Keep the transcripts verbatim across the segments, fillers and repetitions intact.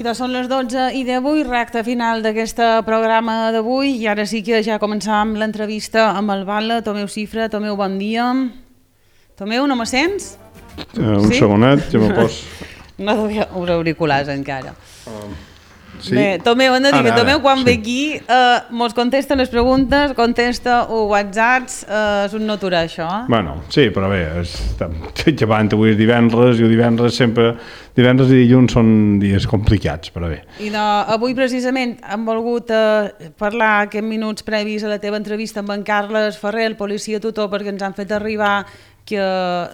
Doncs són les dotze i divuit, recte final d'aquest programa d'avui, i ara sí que ja començam l'entrevista amb el Batlle. Tomeu Cifra, Tomeu, bon dia. Tomeu, no me sents? Uh, un sí? segonet, ja me pos... No devia els auriculars encara. Um, sí? Bé, Tomeu, hem de dir ara, que Tomeu quan sí. ve aquí eh, mos contesta les preguntes, contesta o whatsapps, eh, és un no aturar això. Eh? Bueno, sí, però bé, estem llevant avui és divendres, i el divendres sempre... Divendres i dilluns són dies complicats, però bé. I no, avui precisament hem volgut eh, parlar aquests minuts previs a la teva entrevista amb en Carles Ferrer, el policia tutor, perquè ens han fet arribar que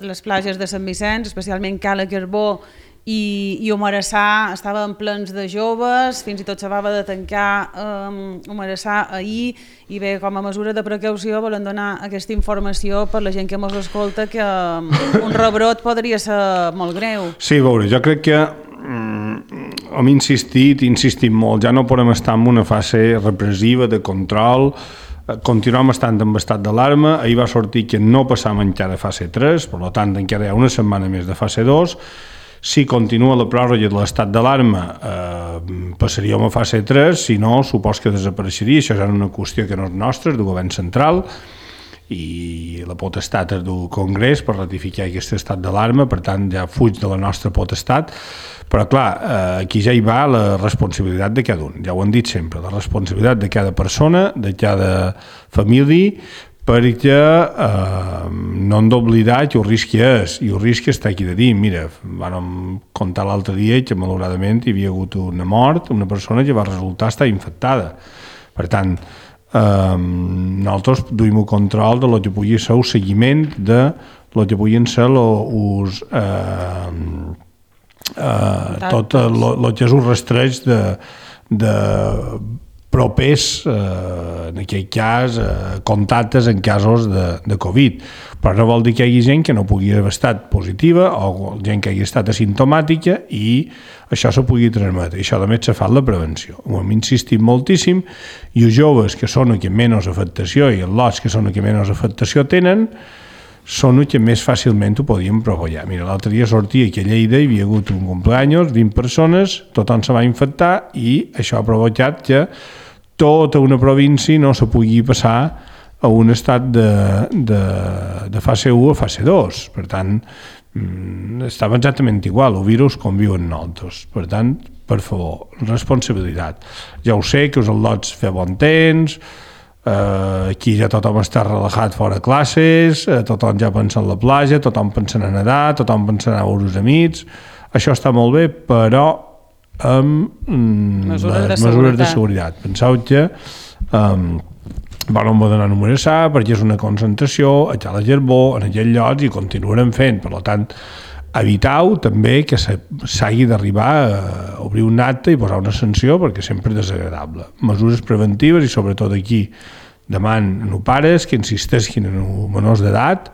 les platges de Sant Vicenç, especialment Cala Carbó i, i Humarassà, estaven plens de joves, fins i tot s'acaba de tancar um, Humarassà ahir, i bé, com a mesura de precaució volen donar aquesta informació per la gent que ens escolta, que um, un rebrot podria ser molt greu. Sí, a veure, jo crec que mm, hem insistit, insistit molt, ja no podem estar en una fase repressiva de control, continuem estant en estat d'alarma. Ahir va sortir que no passam encara de fase tres, per tant encara hi ha una setmana més de fase dos. Si continua la pròrroga de l'estat d'alarma, eh, passaríem a fase tres, si no, supos que desapareixeria. Això és una qüestió que no és nostra, és del govern central, i la potestat és del Congrés per ratificar aquest estat d'alarma, per tant ja fuig de la nostra potestat. Però clar, eh, aquí ja hi va la responsabilitat de cada un, ja ho hem dit sempre, la responsabilitat de cada persona, de cada família, perquè eh, no hem d'oblidar que el risc és, i el risc està aquí de dir. Mira, vam contar l'altre dia que malauradament hi havia hagut una mort, una persona que va resultar estar infectada. Per tant, eh, nosaltres duim el control de lo que pugui ser el seguiment de lo que puguin ser els... Eh, Uh, tot el que és un rastreig de, de propers, uh, en aquell cas, uh, contactes en casos de, de Covid. Però no vol dir que hi hagi gent que no pugui haver estat positiva o gent que hagi estat asimptomàtica i això se pugui transmetre. I això també s'ha fet la prevenció. Ho hem insistit moltíssim, i els joves que són els que menys afectació i els lots que són els que menys afectació tenen són els que més fàcilment ho podien propagar. Mira, l'altre dia sortia que a Lleida hi havia hagut un cumpleaños, vint persones, tothom se va infectar i això ha provocat que tota una província no se pugui passar a un estat de, de, de fase u a fase dos. Per tant, estava exactament igual, el virus conviu amb nosaltres. Per tant, per favor, responsabilitat. Ja ho sé que us el lots fer bon temps, Uh, aquí ja tothom està relaxat fora classes, uh, tothom ja pensa en la platja, tothom pensa en nedar, tothom pensa en anar a veure els amics. Això està molt bé, però amb mm, mesures, les de, mesures de seguretat. Penseu que um, van on anar a Humarassà perquè és una concentració a Cala Carbó, en aquell lloc, i continuarem fent. Per tant, eviteu també que s'hagi d'arribar a obrir un acte i posar una sanció, perquè sempre és desagradable. Mesures preventives, i sobretot aquí deman a pares que insisteixin en els menors d'edat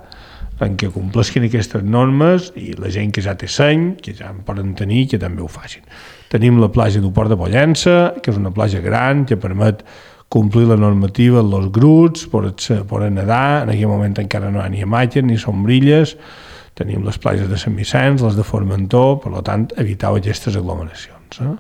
en què compleixin aquestes normes, i la gent que ja té seny, que ja en poden tenir, que també ho facin. Tenim la platja del Port de Pollença, que és una platja gran que permet complir la normativa en els grups, poden nedar. En aquell moment encara no hi ha ni imatges ni sombrilles. Tenim les platges de Sant Vicenç, les de Formentor, per tant, eviteu aquestes aglomeracions. Eh?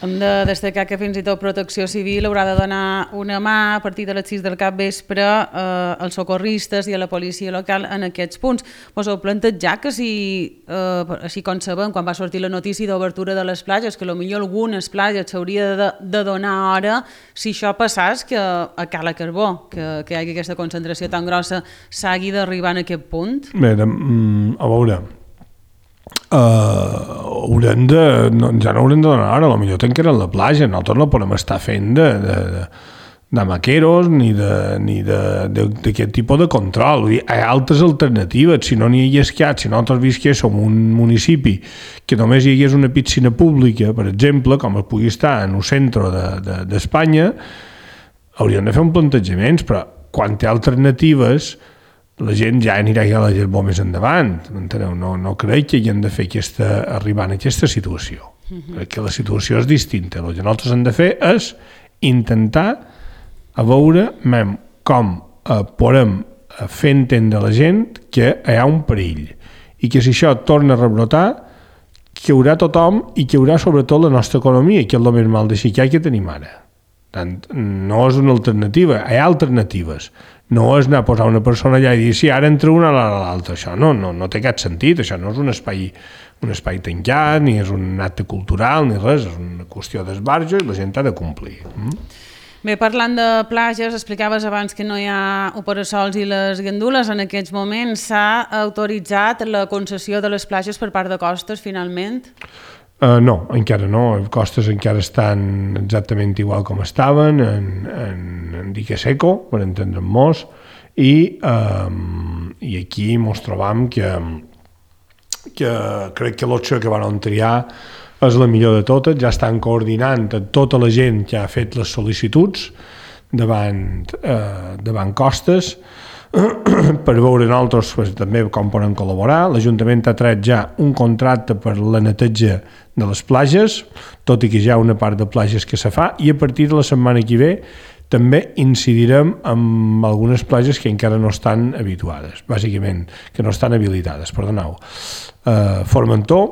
Hem de destacar que fins i tot Protecció Civil haurà de donar una mà a partir de les sis del capvespre eh, als socorristes i a la policia local en aquests punts. Us heu plantejat que si, eh, així com sabem, quan va sortir la notícia d'obertura de les platges, que potser algunes platges s'hauria de, de donar hora, si això passàs, que a Cala Carbó, que, que hi hagi aquesta concentració tan grossa, s'hagi d'arribar en aquest punt? Bé, de, a veure... Uh, haurem de, no, ja no haurem de donar hora, potser tancarem la platja, nosaltres no podem estar fent de, de, de, de maqueros ni d'aquest tipus de control. Hi ha altres alternatives. Si no n'hi hagués cap, si nosaltres visquéssim un municipi que només hi hagués una piscina pública, per exemple, com es pugui estar en el centre d'Espanya, de, de, hauríem de fer un plantejament, però quan té alternatives la gent ja anirà a la Carbó més endavant. No, no crec que hagin de fer aquesta, arribar a aquesta situació. Uh-huh. Crec que la situació és distinta. El que nosaltres hem de fer és intentar a veure com eh, podem fer entendre a la gent que hi ha un perill i que si això torna a rebrotar, que hi haurà tothom i que hi haurà sobretot la nostra economia, que és el més mal de xicar que tenim ara. Tant, no és una alternativa, hi ha alternatives. No és anar a posar una persona allà i dir si sí, ara entra una a l'altra, això no, no, no té cap sentit, això no és un espai, un espai tancat, ni és un acte cultural, ni res, és una qüestió d'esbarjo i la gent ha de complir. Mm? Bé, parlant de platges, explicaves abans que no hi ha operasols i les gandules, en aquests moments s'ha autoritzat la concessió de les platges per part de Costes, finalment? Uh, no, encara no, Costes encara estan exactament igual com estaven, en, en, en dique seco, per entendre'ns, i, um, i aquí ens trobam que, que crec que l'opció que van triar és la millor de totes, ja estan coordinant a tota la gent que ha fet les sol·licituds davant, uh, davant Costes, per veure nosaltres pues, també com poden col·laborar. L'Ajuntament ha tret ja un contracte per la neteja de les platges, tot i que hi ha una part de platges que se fa, i a partir de la setmana que ve també incidirem en algunes platges que encara no estan habituades, bàsicament, que no estan habilitades, perdoneu. Uh, Formentor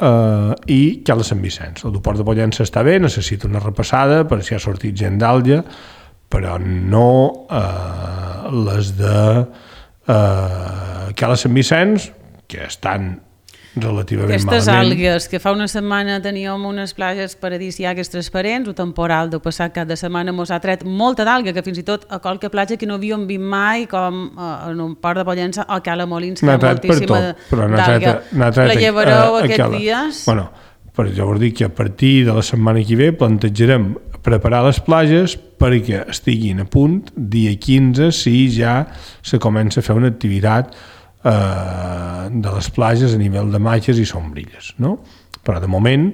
uh, i Cala Sant Vicenç. El Port de Pollença està bé, necessita una repassada per si ha sortit gent d'Àlgia, però no eh, les de eh, Cala Sant Vicenç, que estan relativament Aquestes malament. algues, que fa una setmana teníem unes platges paradisíaques transparents, el temporal del passat cap de setmana mos ha tret molta d'alga, que fins i tot a qualque platja que no havíem vist mai, com eh, en un Port de Pollença o Cala Molins, que hi ha moltíssima d'alga. La llevareu aquests Cala. dies? Bueno, però jo us dic que a partir de la setmana que ve plantejarem preparar les platges perquè estiguin a punt dia quinze si ja se comença a fer una activitat eh, de les platges a nivell de matxes i sombrilles, no? Però de moment,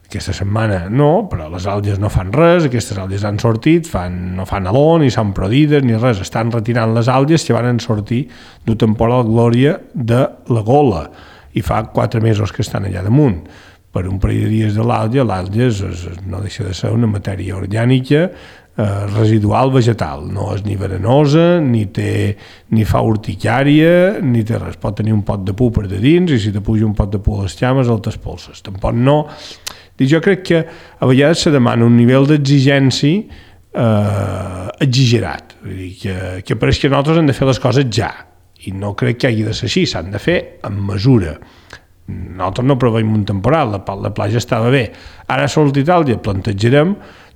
aquesta setmana no, però les àlgies no fan res, aquestes àlgies han sortit, fan, no fan aló, ni s'han prodides, ni res, estan retirant les àlgies que van sortir d'un temporal glòria de la Gola, i fa quatre mesos que estan allà damunt. Per un parell de dies de l'àlgia, l'àlgia no deixa de ser una matèria orgànica eh, residual vegetal, no és ni verenosa, ni, té, ni fa urticària, ni té res, pot tenir un pot de pu per de dins i si te puja un pot de pu a les llames el t'espolses, tampoc no. Jo crec que a vegades se demana un nivell d'exigència eh, exagerat, vull dir, que, que pareix que nosaltres hem de fer les coses ja, i no crec que hagi de ser així, s'han de fer amb mesura. Nosaltres no preveiem un temporal, la, la platja estava bé. Ara sols d'Itàlia plantejarem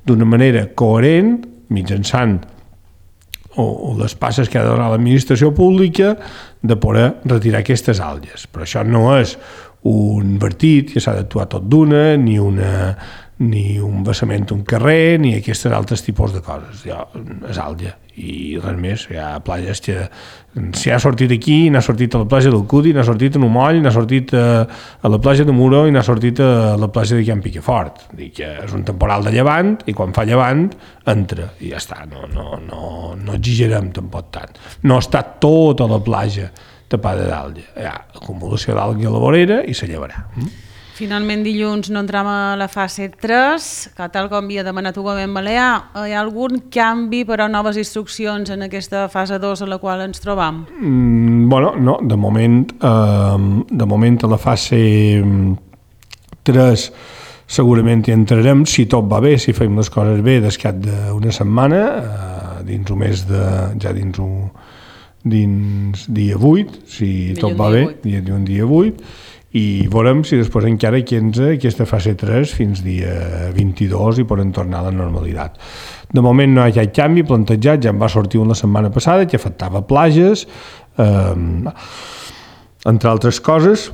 d'una manera coherent, mitjançant o, o les passes que ha de donar l'administració pública, de poder retirar aquestes àlgies. Però això no és un vertit que s'ha d'actuar tot d'una, ni una ni un vessament d'un carrer, ni aquests altres tipus de coses. Ja, és àlgia, i res més. Hi ha platges que si ha sortit aquí, n'ha sortit a la platja del Cudi, n'ha sortit a Numoll, n'ha sortit a, a la platja de Muro i n'ha sortit a la platja de Can Piquefort. Dic que és un temporal de llevant i quan fa llevant entra i ja està, no, no, no, no exagerem tampoc tant. No està tota la platja tapada d'àlgia. Hi ha acumulació d'àlgia a la vorera i se llevarà. Finalment dilluns no entram a la fase tres, que tal com havia demanat el govern balear, hi ha algun canvi per a noves instruccions en aquesta fase dos a la qual ens trobam? Mm, bueno, no, de moment, eh, de moment a la fase tres segurament hi entrarem, si tot va bé, si fem les coses bé, d'escat d'una setmana, eh, dins un mes de, ja dins un, dins dia vuit, si tot va bé, dia, un dia vuit, i veurem si després encara quinze aquesta fase tres fins dia vint-i-dos i poden tornar a la normalitat. De moment no hi ha cap canvi plantejat, ja en va sortir una setmana passada que afectava platges, eh, entre altres coses,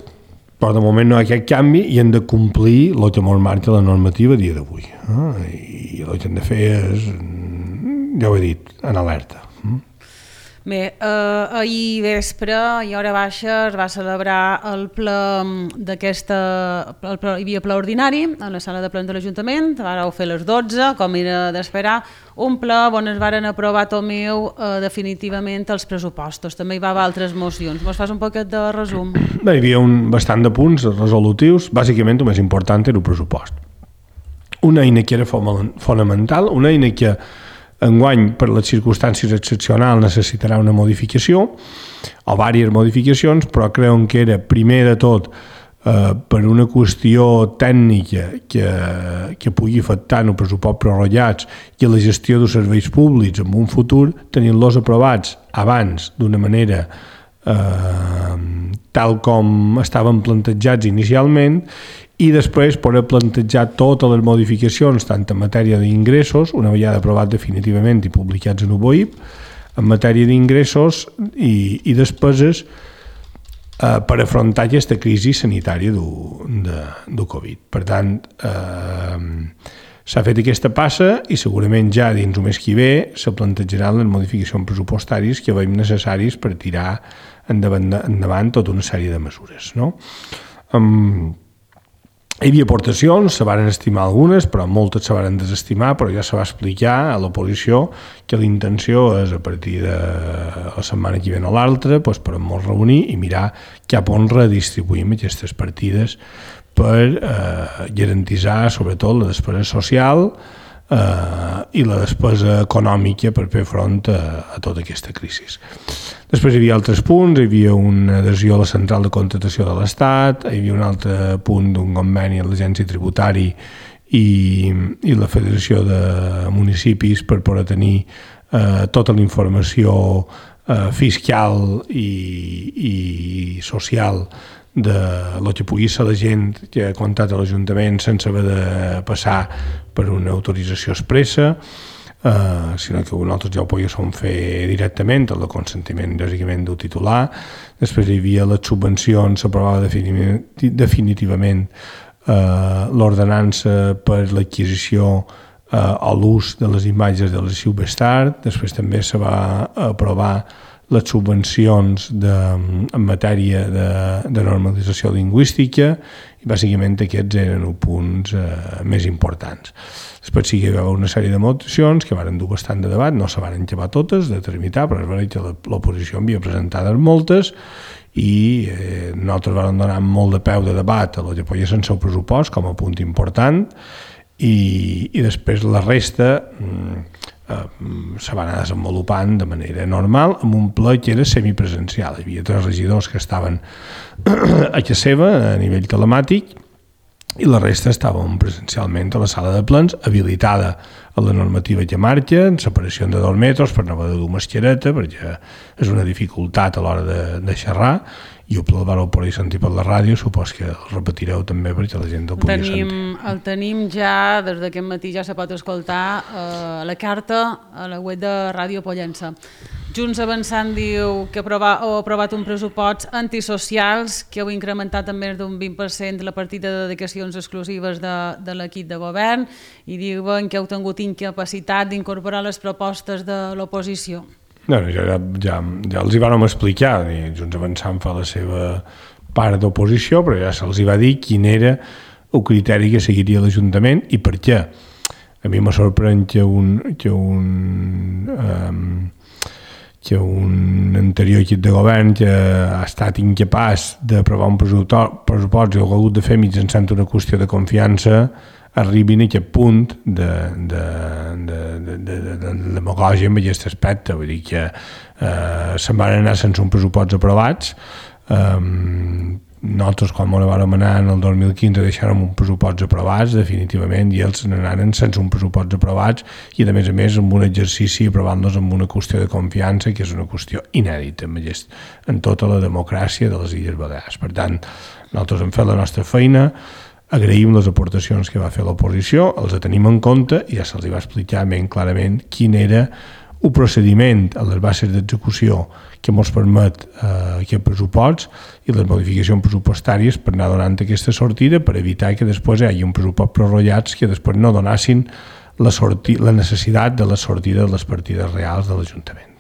però de moment no hi ha cap canvi i hem de complir el que ens marca la normativa a dia d'avui. Eh? I el que hem de fer és, ja ho he dit, en alerta. Bé, eh, ahir vespre i hora baixa es va celebrar el ple d'aquesta, el ple, hi havia ple ordinari a la sala de plens de l'Ajuntament, vareu fer les dotze, com era d'esperar, un ple on es varen aprovar, Tomeu, eh, definitivament els pressupostos. També hi va haver altres mocions. Mos fas un poquet de resum? Bé, hi havia un bastant de punts resolutius, bàsicament el més important era el pressupost. Una eina que era fonamental, una eina que enguany, per les circumstàncies excepcionals, necessitarà una modificació o diverses modificacions, però creuen que era, primer de tot, eh, per una qüestió tècnica que, que pugui afectar en el pressupost prorrogats i la gestió dels serveis públics en un futur, tenint-los aprovats abans d'una manera eh, tal com estaven plantejats inicialment, i després poder plantejar totes les modificacions, tant en matèria d'ingressos, una vegada aprovat definitivament i publicats en U B O I P, en matèria d'ingressos i, i despeses eh, per afrontar aquesta crisi sanitària du, de, du Covid. Per tant, eh, s'ha fet aquesta passa i segurament ja dins el mes que ve se plantejaran les modificacions pressupostàries que veiem necessaris per tirar endavant, endavant tota una sèrie de mesures. No? Um, Hi havia aportacions, se van estimar algunes, però moltes se van desestimar, però ja se va explicar a l'oposició que la intenció és, a partir de la setmana que ve o l'altra, doncs, per molt reunir i mirar cap on redistribuïm aquestes partides per eh, garantitzar, sobretot, la despesa social eh, i la despesa econòmica per fer front a, a tota aquesta crisi. Després hi havia altres punts, hi havia una adhesió a la central de contractació de l'Estat, hi havia un altre punt d'un conveni a l'Agència Tributari i, i la Federació de Municipis per poder tenir eh, tota la informació eh, fiscal i, i social de lo que pugui ser la gent que ha comptat a l'Ajuntament sense haver de passar per una autorització expressa, Uh, sinó que nosaltres ja ho podíem fer directament, el consentiment bàsicament del titular. Després hi havia les subvencions, s'aprovava definitivament uh, l'ordenança per l'adquisició uh, o l'ús de les imatges de l'arxiu Bestart. Després també se va aprovar les subvencions de, en matèria de, de normalització lingüística i bàsicament aquests eren els punts uh, més importants. Després sí que hi va haver una sèrie de mocions que van dur bastant de debat, no se van acabar totes de tramitar, però és veritat que l'oposició havia presentades moltes i eh, nosaltres vam donar molt de peu de debat a lo que podia ser el seu pressupost com a punt important i, i després la resta eh, se va anar desenvolupant de manera normal amb un ple que era semipresencial. Hi havia tres regidors que estaven a casa seva a nivell telemàtic i la resta estàvem presencialment a la sala de plens, habilitada a la normativa que marxa, en separació de dos metres per no haver de dur mascareta, perquè és una dificultat a l'hora de, de xerrar, i el ple el vareu poder sentir per la ràdio, supos que el repetireu també perquè la gent el podia tenim, sentir. El tenim ja, des d'aquest matí ja se pot escoltar eh, la carta a la web de Ràdio Pollença. Junts Avançant diu que ha aprovat un pressupost antisocials que heu incrementat en més d'un vint per cent la partida de dedicacions exclusives de, de l'equip de govern i diuen que heu tingut incapacitat d'incorporar les propostes de l'oposició. No, ja, ja, ja els hi vam explicar, i Junts Avançant fa la seva part d'oposició, però ja se'ls hi va dir quin era el criteri que seguiria l'Ajuntament i per què. A mi me sorprèn que un... Que un um, que un anterior equip de govern que ha estat incapaç d'aprovar un pressupost i ho ha hagut de fer mitjançant una qüestió de confiança arribin a aquest punt de, de, de, de, de, de, de demagògia en aquest aspecte. Vull dir que eh, se'n van anar sense un pressupost aprovats. Um, nosaltres quan ens vam anar en el dos mil quinze deixàrem un pressupost aprovats definitivament i ells n'anaren sense un pressupost aprovats i a més a més amb un exercici aprovant-los amb una qüestió de confiança que és una qüestió inèdita en, aquest, en tota la democràcia de les Illes Balears. Per tant, nosaltres hem fet la nostra feina, agraïm les aportacions que va fer l'oposició, els tenim en compte i ja se'ls va explicar ben clarament quin era un procediment a les bases d'execució que ens permet eh, aquest pressupost i les modificacions pressupostàries per anar donant aquesta sortida per evitar que després hi hagi un pressupost prorrogats que després no donassin la, sorti, la necessitat de la sortida de les partides reals de l'Ajuntament.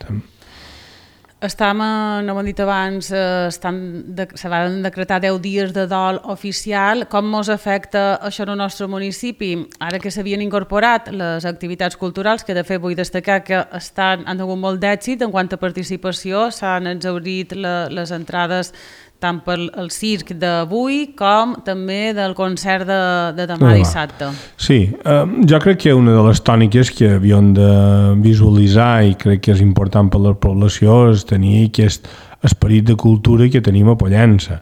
Estam, no m'ho hem dit abans, estan de, se van decretar deu dies de dol oficial. Com ens afecta això en el nostre municipi? Ara que s'havien incorporat les activitats culturals, que de fet vull destacar que estan, han tingut molt d'èxit en quant a participació, s'han exhaurit la, les entrades tant pel el circ d'avui com també del concert de, de demà dissabte. Sí, eh, jo crec que una de les tòniques que havíem de visualitzar i crec que és important per la població és tenir aquest esperit de cultura que tenim a Pollença.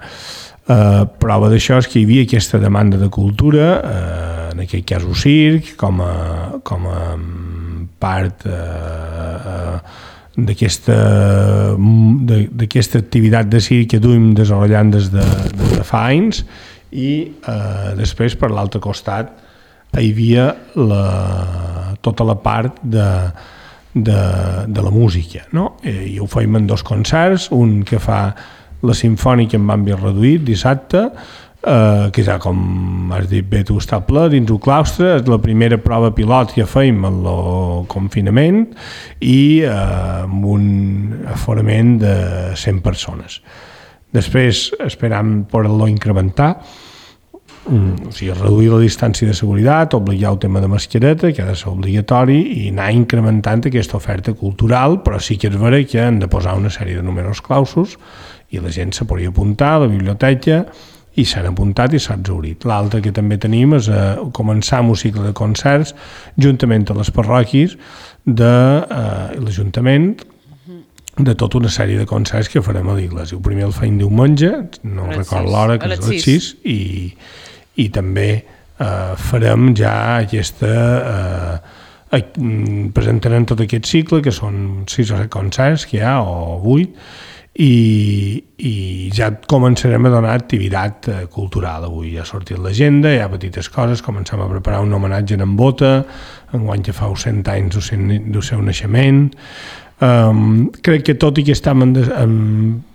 Uh, prova d'això és que hi havia aquesta demanda de cultura, uh, en aquest cas un circ, com a, com a part uh, uh, d'aquesta d'aquesta activitat de circ que duim desenvolupant des de, des de fa anys, i uh, després per l'altre costat hi havia la, tota la part de, de, de la música, no? I ho feim en dos concerts, un que fa la Simfònica en àmbit reduït dissabte, eh, que ja com has dit bé tu està ple dins el claustre, és la primera prova pilot que feim en el confinament i eh, amb un aforament de cent persones. Després esperam poder-lo incrementar, o sigui, reduir la distància de seguretat, obligar el tema de mascareta, que ha de ser obligatori, i anar incrementant aquesta oferta cultural, però sí que és vera que han de posar una sèrie de números clausos i la gent se podria apuntar a la biblioteca i s'han apuntat i s'ha exhaurit. L'altre que també tenim és eh, començar un cicle de concerts juntament a les parròquies de eh, l'Ajuntament, de tota una sèrie de concerts que farem a l'església. El primer el feim diumenge, no recordo l'hora, que és a les sis, i, i també eh, farem ja aquesta... Eh, presentarem tot aquest cicle, que són sis o set concerts que hi ha, o vuit, i, i ja començarem a donar activitat eh, cultural. Avui ja ha sortit l'agenda, hi ha petites coses, comencem a preparar un homenatge en Bota, enguany que fa cent anys del seu naixement. Um, crec que tot i que estem en, de, en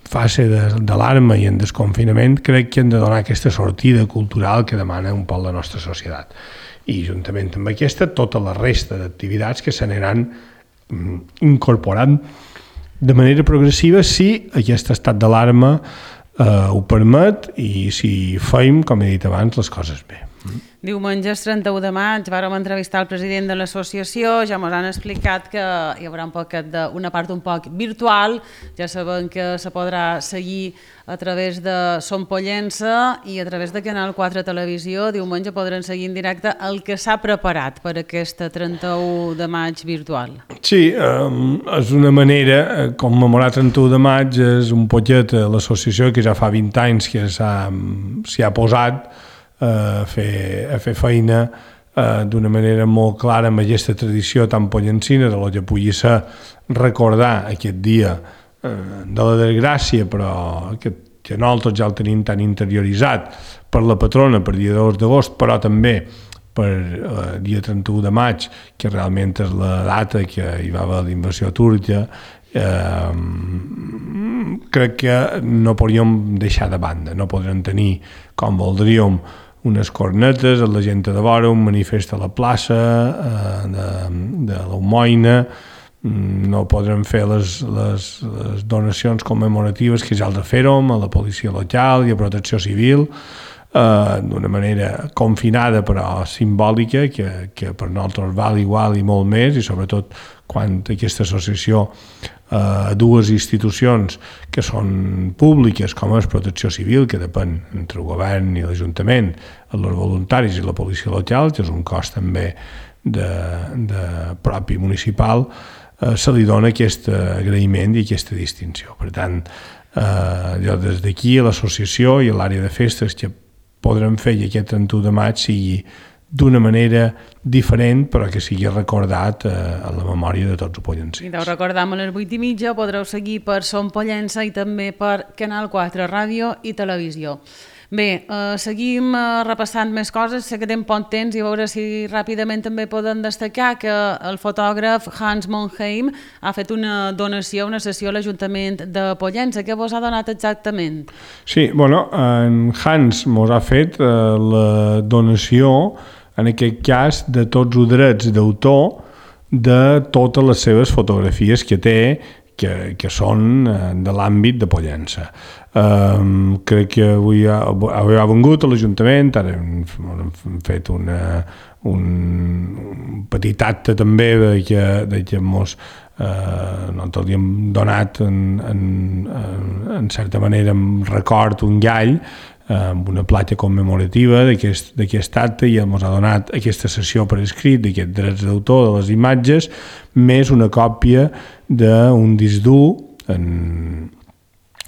fase de, d'alarma i en desconfinament, crec que hem de donar aquesta sortida cultural que demana un poc la nostra societat. I juntament amb aquesta, tota la resta d'activitats que s'aniran um, incorporant de manera progressiva si aquest estat d'alarma eh, ho permet i si feim, com he dit abans, les coses bé. Diumenge, trenta-u de maig, vàrem entrevistar el president de l'associació, ja ens han explicat que hi haurà un poquet de, una part un poc virtual, ja sabem que se podrà seguir a través de Som Pollença i a través de Canal quatre Televisió. Diumenge podran seguir en directe el que s'ha preparat per aquesta trenta-u de maig virtual. Sí, um, és una manera, commemorar trenta-u de maig és un poquet l'associació que ja fa vint anys que s'hi ha posat a fer, a fer feina eh, d'una manera molt clara amb aquesta tradició tan pollencina de lo que pugui ser recordar aquest dia eh, de la desgràcia, però que, que nosaltres ja el tenim tan interioritzat per la patrona, per dia dos d'agost, però també per eh, dia trenta-u de maig, que realment és la data que hi va haver l'invasió turca. Eh, crec que no podríem deixar de banda, no podrem tenir com voldríem unes cornetes, la gent de vora, un manifest a la plaça eh, de, de l'Homoina, no podrem fer les, les, les donacions commemoratives que ja els fèrem a la policia local i a protecció civil, eh, d'una manera confinada però simbòlica, que, que per nosaltres val igual i molt més, i sobretot quan aquesta associació a dues institucions que són públiques, com és Protecció Civil, que depèn entre el govern i l'Ajuntament, els voluntaris i la policia local, que és un cos també de, de propi municipal, eh, se li dona aquest agraïment i aquesta distinció. Per tant, eh, jo des d'aquí a l'associació i a l'àrea de festes que podrem fer que aquest trenta-u de maig sigui d'una manera diferent, però que sigui recordat eh, a la memòria de tots els pollencins. I deu recordar a les vuit i mitja, podreu seguir per Som Pollença i també per Canal quatre Ràdio i Televisió. Bé, eh, seguim eh, repassant més coses, sé que tenim poc temps i a veure si ràpidament també podem destacar que el fotògraf Hans Monheim ha fet una donació, una sessió a l'Ajuntament de Pollença. Què vos ha donat exactament? Sí, bueno, en Hans mos ha fet eh, la donació, en aquest cas, de tots els drets d'autor de totes les seves fotografies que té, que, que són de l'àmbit de Pollença. Um, crec que avui ha, avui ha vengut a l'Ajuntament, ara hem, hem fet una, un, un petit acte també de que, de que mos, eh, nosaltres li hem donat en, en, en, en certa manera en record un gall amb una platja commemorativa d'aquest, d'aquest acte, i ens ha donat aquesta sessió per escrit d'aquests drets d'autor de les imatges, més una còpia d'un disc dur en,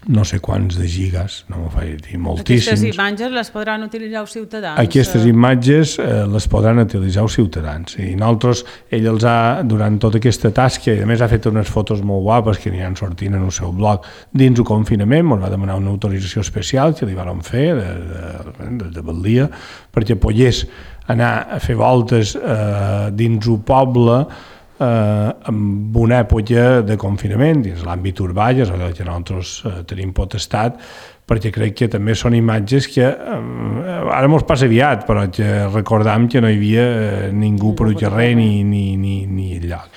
no sé quants de gigas, no m'ho faig dir, moltíssims. Aquestes imatges les podran utilitzar els ciutadans? Aquestes imatges eh, les podran utilitzar els ciutadans. I nosaltres, ell els ha, durant tota aquesta tasca, i a més ha fet unes fotos molt guapes que aniran sortint en el seu blog, dins el confinament, ens va demanar una autorització especial que li vam fer de, de, de, de Batllia, perquè pogués anar a fer voltes eh, dins el poble eh, amb una època de confinament dins l'àmbit urbà, és allò que nosaltres eh, tenim potestat, perquè crec que també són imatges que eh, ara mos passa aviat, però que recordam que no hi havia eh, ningú per al carrer ni, ni, ni, ni enlloc.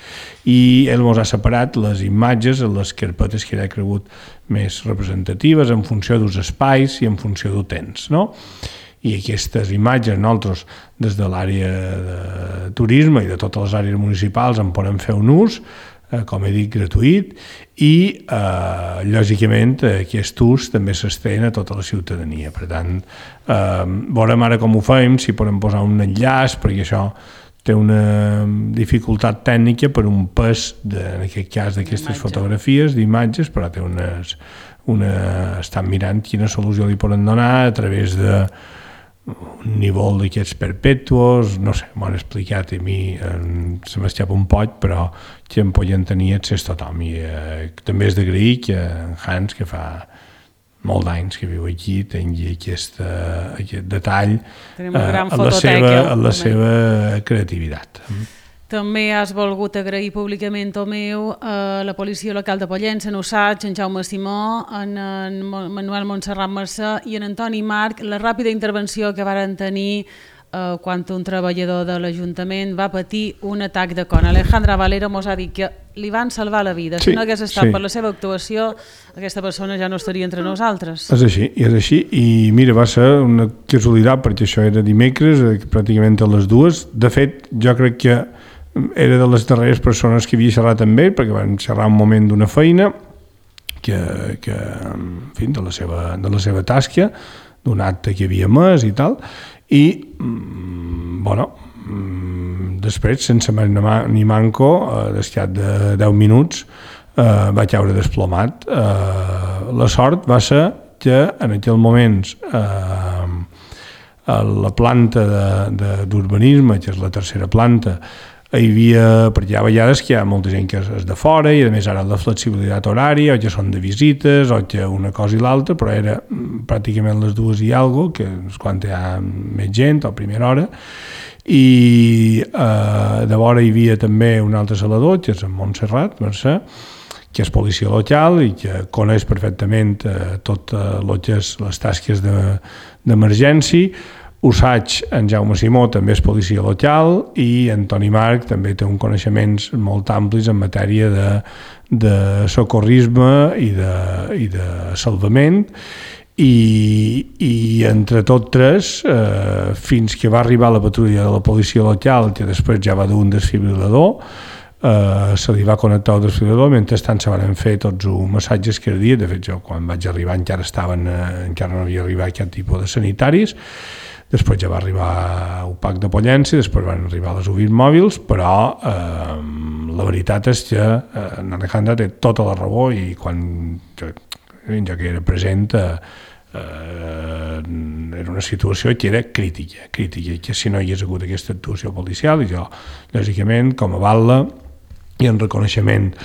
I ell mos ha separat les imatges en les carpetes que ell ha cregut més representatives en funció dels espais i en funció del temps, no? I aquestes imatges nosaltres des de l'àrea de turisme i de totes les àrees municipals en podem fer un ús, eh, com he dit, gratuït, i eh, lògicament aquest ús també s'estén a tota la ciutadania. Per tant, eh, veurem ara com ho fem, si podem posar un enllaç, perquè això té una dificultat tècnica per un pes, de, en aquest cas d'aquestes fotografies, d'imatges, però té unes, una, estan mirant quina solució li poden donar a través de un nivell d'aquests perpetuos, no sé, m'ho han explicat i a mi eh, se m'escapa un poc, però que en podien tenir accés tothom. I eh, també és d'agrair que en Hans, que fa molt d'anys que viu aquí, tingui aquest, uh, aquest detall uh, en, la seva, en la seva creativitat. També has volgut agrair públicament, Tomeu, a la policia local de Pollença, en Usatge, en Jaume Simó, en, en Manuel Montserrat Mercè i en Antoni Marc, la ràpida intervenció que varen tenir eh, quan un treballador de l'Ajuntament va patir un atac de con. Alejandra Valero mos ha dit que li van salvar la vida. Sí, si no hagués estat sí. per la seva actuació, aquesta persona ja no estaria entre nosaltres. És així, és així. I mira, va ser una casualitat, perquè això era dimecres, pràcticament a les dues. De fet, jo crec que era de les darreres persones que havia xerrat amb ell, perquè van xerrar un moment d'una feina, que, que en fi, de la seva, de la seva tasca, d'un acte que havia més i tal, i, bueno, després, sense més ni manco, d'escat de deu minuts, eh, va caure desplomat. Eh, la sort va ser que en aquell moment eh, a la planta d'urbanisme, que és la tercera planta, hi havia, perquè hi ha vegades que hi ha molta gent que és de fora i a més ara la flexibilitat horària, o que són de visites o que una cosa i l'altra, però era pràcticament les dues i alguna cosa, que és quan hi ha més gent o a primera hora, i eh, de vora hi havia també un altre salador, que és en Montserrat Mercè, que és policia local i que coneix perfectament eh, totes les tasques d'emergència. Usatge, en Jaume Simó, també és policia local, i Antoni Marc també té uns coneixements molt amplis en matèria de, de socorrisme i de, i de salvament, i, i entre tots tres, eh, fins que va arribar la patrulla de la policia local, que després ja va dur un desfibrilador, eh, se li va connectar el desfibrilador, mentrestant se van fer tots els massatges cardíacs. De fet, jo quan vaig arribar encara estaven, eh, encara no havia arribat aquest tipus de sanitaris. Després ja va arribar el P A C de Pollença, després van arribar les U B I mòbils, però eh, la veritat és que eh, en Alejandra té tota la raó, i quan jo, jo que era present eh, eh, era una situació que era crítica, crítica, que si no hi hagués hagut aquesta actuació policial, i jo, lògicament, com a batlle i en reconeixement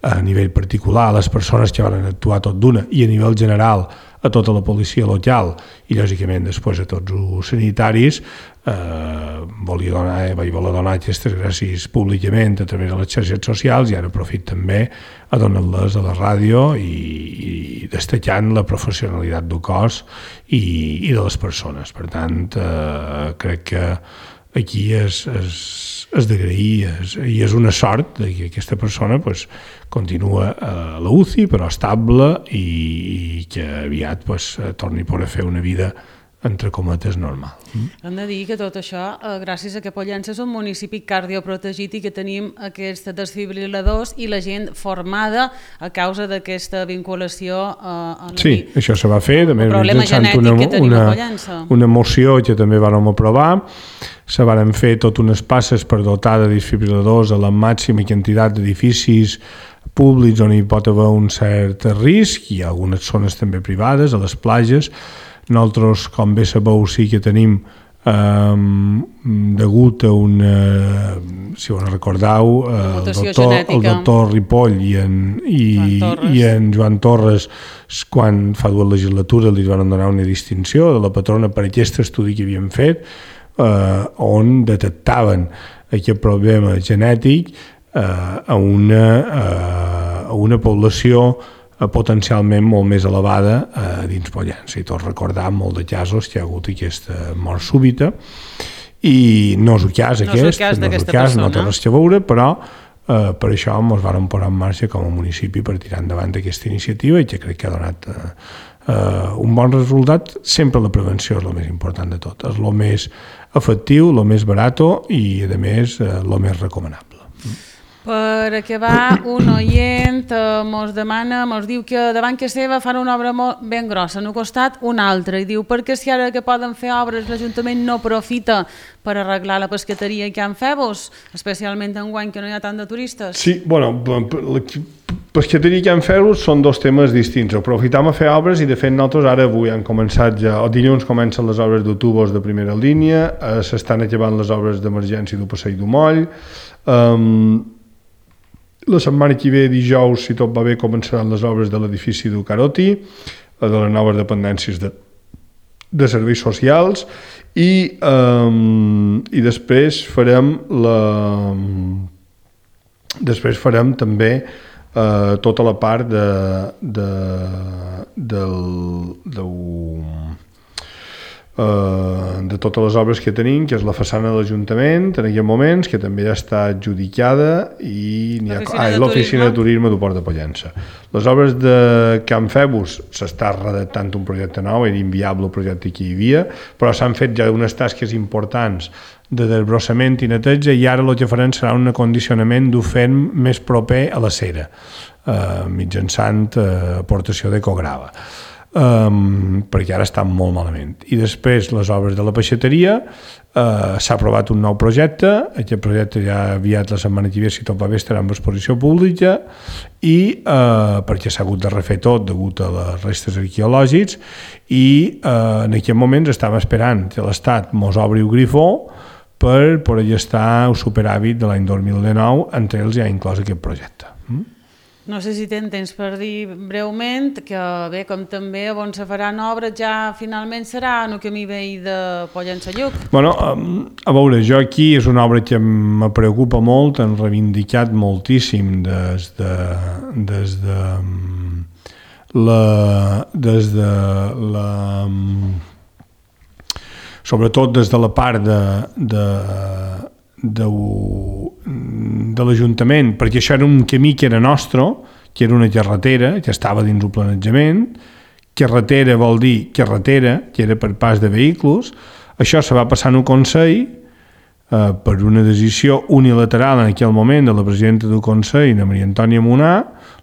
a nivell particular a les persones que van actuar tot d'una i a nivell general a tota la policia local i lògicament després a tots els sanitaris, eh, volia donar, vaig voler donar aquestes gràcies públicament a través de les xarxes socials, i ara aprofit també a donar-les a la ràdio i, i destacant la professionalitat del cos i, i de les persones. Per tant, eh, crec que aquí és, és, és d'agrair, i és una sort que aquesta persona pues, continua a la U C I, però estable, i, i que aviat pues, torni a poder fer una vida entre cometes normal. Hem de dir que tot això, eh, gràcies a que Pollença és un municipi cardioprotegit i que tenim aquests desfibriladors i la gent formada a causa d'aquesta vinculació eh, a la Sí, això se va fer, també problema genètic una, que tenim una, a Pollença. Una moció que també vàrem aprovar, se varen fer tot unes passes per dotar de desfibriladors a la màxima quantitat d'edificis públics on hi pot haver un cert risc, i algunes zones també privades, a les platges. Nosaltres, com bé sabeu, sí que tenim Um, degut a una, si ho recordeu, uh, el, doctor, el doctor Ripoll i en, i, i en Joan Torres, quan fa dues legislatures li van donar una distinció de la patrona per aquest estudi que havien fet, uh, on detectaven aquest problema genètic uh, a, una, uh, a una població potencialment molt més elevada eh, dins Pollença, i tots recordam molt de casos que hi ha hagut aquesta mort súbita, i no és el cas aquest, no és el cas, no, és el cas no té res a veure, però eh, per això ens vam posar en marxa com a municipi per tirar endavant aquesta iniciativa, i que crec que ha donat eh, eh, un bon resultat. Sempre la prevenció és el més important de tot, és el més efectiu, el més barat i, a més, eh, el més recomanable. Per acabar, un oient eh, mos demana, mos diu que davant que seva fan una obra molt ben grossa, en un costat una altra, i diu perquè si ara que poden fer obres l'Ajuntament no aprofita per arreglar la pescateria que han fet-vos, especialment enguany que no hi ha tant de turistes? Sí, bueno, la pescateria que han fet-vos són dos temes distints. Aprofitam a fer obres, i de fet nosaltres ara avui han començat ja, el dilluns comencen les obres de tubos de primera línia, eh, s'estan acabant les obres d'emergència del Passeig du Moll, eh, la setmana que ve, dijous, si tot va bé, començaran les obres de l'edifici del Caroti, de les noves dependències de, de serveis socials, i, um, i després farem la després farem també uh, tota la part de, de, del, del Uh, de totes les obres que tenim, que és la façana de l'Ajuntament en aquests moments, que també ja està adjudicada, i l'oficina de, de turisme del Port de Pollença. Les obres de Can Febus s'està redactant un projecte nou, era inviable el projecte que hi havia, però s'han fet ja unes tasques importants de desbrossament i neteja, i ara el que farem serà un acondicionament d'ofent més proper a la cera, uh, mitjançant uh, aportació d'ecograva. Um, perquè ara estan molt malament. I després les obres de la peixateria, uh, s'ha aprovat un nou projecte, aquest projecte ja aviat la setmana que ve, si tot va bé, estarà en exposició pública, i uh, perquè s'ha hagut de refer tot degut a les restes arqueològics, i uh, en aquest moment estem esperant que l'Estat mos obri el grifó per poder estar el superàvit de l'any dos mil dinou, entre ells ja ha inclòs aquest projecte. Mm? No sé si tens temps per dir breument que, bé, com també on se faran obres, ja finalment serà en el camí veí de Pollença-Lluc. Bueno, a veure, jo aquí és una obra que me preocupa molt, hem reivindicat moltíssim des de, des de la... des de la sobretot des de la part de, de de, de l'Ajuntament, perquè això era un camí que era nostre, que era una carretera, que estava dins el planejament. Carretera vol dir carretera, que era per pas de vehicles. Això se va passar en un Consell eh, per una decisió unilateral en aquell moment de la presidenta del Consell, la Maria Antònia Munà.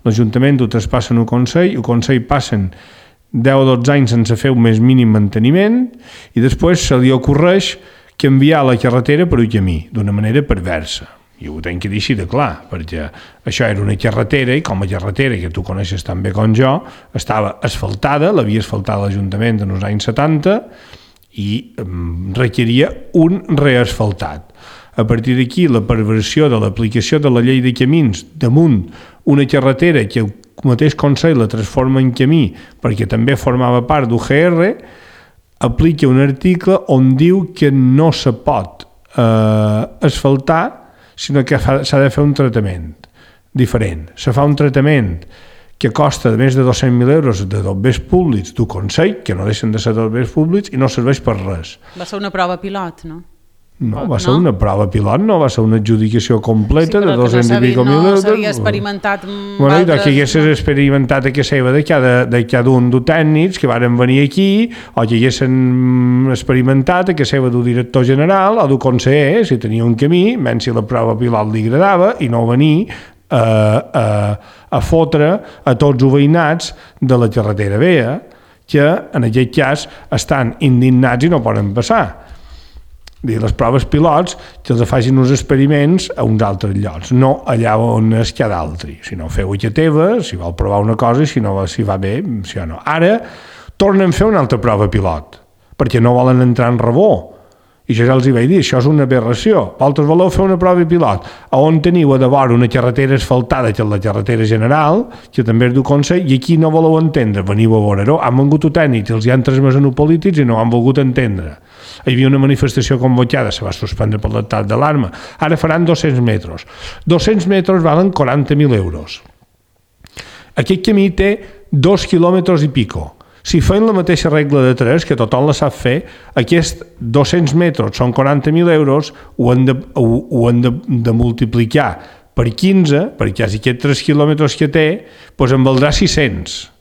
L'Ajuntament ho traspassa en un Consell, el Consell passen deu o dotze anys sense fer un més mínim manteniment, i després se li ocorreix canviar la carretera per un camí, d'una manera perversa. I ho tenc que dir així de clar, perquè això era una carretera, i com a carretera, que tu coneixes tan bé com jo, estava asfaltada, l'havia asfaltat l'Ajuntament en els anys setanta, i requeria un reasfaltat. A partir d'aquí, la perversió de l'aplicació de la llei de camins damunt una carretera que el mateix Consell la transforma en camí, perquè també formava part d'U G R, aplica un article on diu que no se pot eh, asfaltar, sinó que s'ha de fer un tractament diferent. Se fa un tractament que costa més de dos-cents mil euros de dobbers públics d'un Consell, que no deixen de ser dobbers públics, i no serveix per res. Va ser una prova pilot, no? No, va ser no? una prova pilot, no va ser una adjudicació completa sí, de dos-cents no i pico mil euros. No s'havia experimentat amb bueno, altres... que haguessis experimentat a que seva de cada, de cada un dels tècnics que varen venir aquí, o que haguessin experimentat a que seva del director general o del conseller, si tenia un camí, menys si la prova pilot li agradava, i no venir a, a, a fotre a tots els veïnats de la carretera vella, que en aquest cas estan indignats i no poden passar. dir, les proves pilots que els facin uns experiments a uns altres llocs, no allà on és cada altre, sinó feu-ho a teva, si vol provar una cosa, si no si va bé, si o no. Ara tornen a fer una altra prova pilot, perquè no volen entrar en rebó. I jo ja els hi vaig dir, això és una aberració. Vosaltres voleu fer una prova pilot on teniu a de vora una carretera asfaltada, que és la carretera general, que també és du Consell, i aquí no voleu entendre, veniu a veure-ho. Han vengut tècnics, els hi han transmès a polítics i no han volgut entendre. Hi havia una manifestació convocada, se va suspendre per l'estat d'alarma. Ara faran dos-cents metres. dos-cents metres valen quaranta mil euros. Aquest camí té dos quilòmetres i pico. Si feien la mateixa regla de tres, que tothom la sap fer, aquests dos-cents metres són quaranta mil euros, ho han de, ho, ho han de, de multiplicar per quinze, perquè si aquests tres quilòmetres que té, doncs en valdrà sis-cents.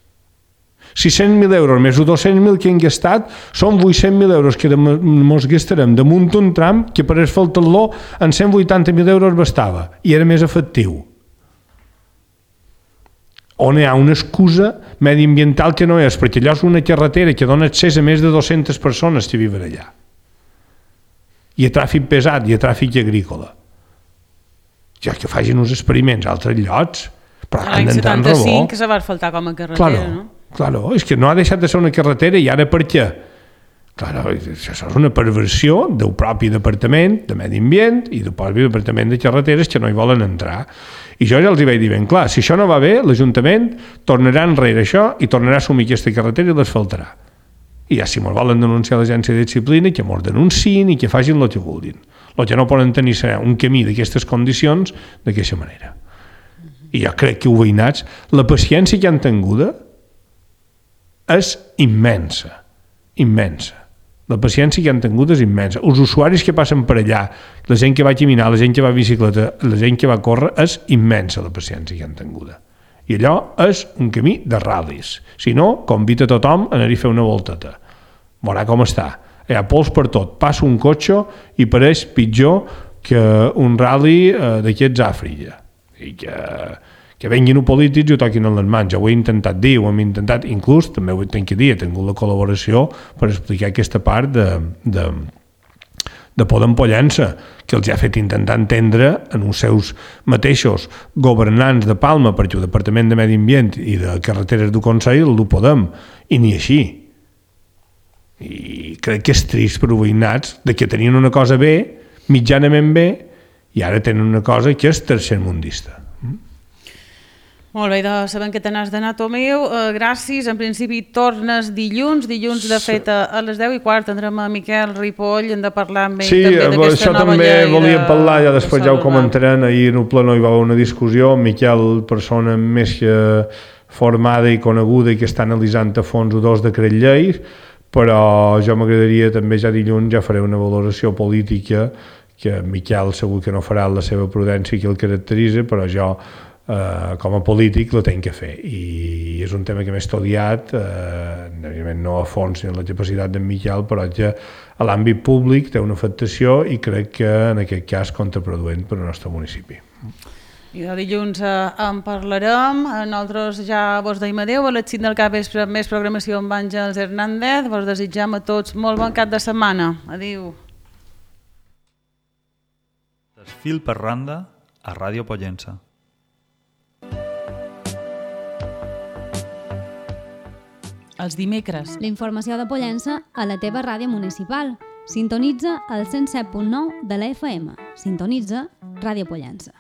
sis-cents mil euros més els dos-cents mil que hem gastat són vuit-cents mil euros que ens gastarem damunt un tram que per asfaltar-lo en cent vuitanta mil euros bastava i era més efectiu. On hi ha una excusa mediambiental que no és, perquè allò és una carretera que dona accés a més de dues-centes persones que viuen allà. I a tràfic pesat, i a tràfic agrícola. Ja que facin uns experiments a altres llocs, però han d'entrar en rebó. L'any setanta-cinc se va asfaltar com a carretera, claro, no? Claro, és que no ha deixat de ser una carretera i ara per què? Claro, això és una perversió del propi departament de Medi Ambient i del propi departament de carreteres que no hi volen entrar. I jo ja els hi vaig dir ben clar, si això no va bé, l'Ajuntament tornarà enrere això i tornarà a assumir aquesta carretera i l'asfaltarà. I ja si ens volen denunciar l'agència de disciplina, que ens denunciïn i que facin el que vulguin. El que no poden tenir serà un camí d'aquestes condicions d'aquesta manera. I jo crec que els veïnats, la paciència que han tinguda és immensa, immensa. La paciència que han tingut és immensa. Els usuaris que passen per allà, la gent que va caminar, la gent que va a bicicleta, la gent que va a córrer, és immensa la paciència que han tingut. I allò és un camí de ral·lis. Si no, convida tothom a anar-hi a fer una volteta. Veurà com està. Hi ha pols per tot. Passa un cotxe i pareix pitjor que un ral·li eh, d'aquests Àfrica. I que... que venguin els polítics i ho toquin en les mans. Ja ho he intentat dir, ho hem intentat, inclús, també ho he tingut que dir, he tingut la col·laboració per explicar aquesta part de, de, de Podem Pollença, que els ha fet intentar entendre en els seus mateixos governants de Palma, perquè el Departament de Medi Ambient i de Carreteres du Consell el Podem, i ni així. I crec que és trist per els veïnats de que tenien una cosa bé, mitjanament bé, i ara tenen una cosa que és tercermundista. Molt bé, de sabem que te n'has d'anar, Tomeu. Uh, gràcies. En principi tornes dilluns. Dilluns, de fet, a, a les deu i quart tindrem a Miquel Ripoll. Hem de parlar amb ell sí, també d'aquesta nova llei. Sí, això també volia de, parlar, ja després ja ho comentarem. Ahir en el pleno hi va haver una discussió. Miquel, persona més que formada i coneguda i que està analitzant a fons dos decrets lleis, però jo m'agradaria també ja dilluns ja faré una valoració política que Miquel segur que no farà la seva prudència que el caracteritza, però jo Uh, com a polític la tenc que fer i és un tema que m'he estudiat uh, no a fons ni en la capacitat d'en Miquel, però que a l'àmbit públic té una afectació i crec que en aquest cas contraproduent per al nostre municipi. I de dilluns uh, en parlarem. Nosaltres ja vos deim adeu, a les cinc del cap vespre més programació amb Àngels Hernández. Vos desitjam a tots molt bon cap de setmana. Adéu. Desfil per randa a Ràdio Pollença. Els dimecres. La informació de Pollença a la teva ràdio municipal. Sintonitza el cent set punt nou de la F M. Sintonitza Ràdio Pollença.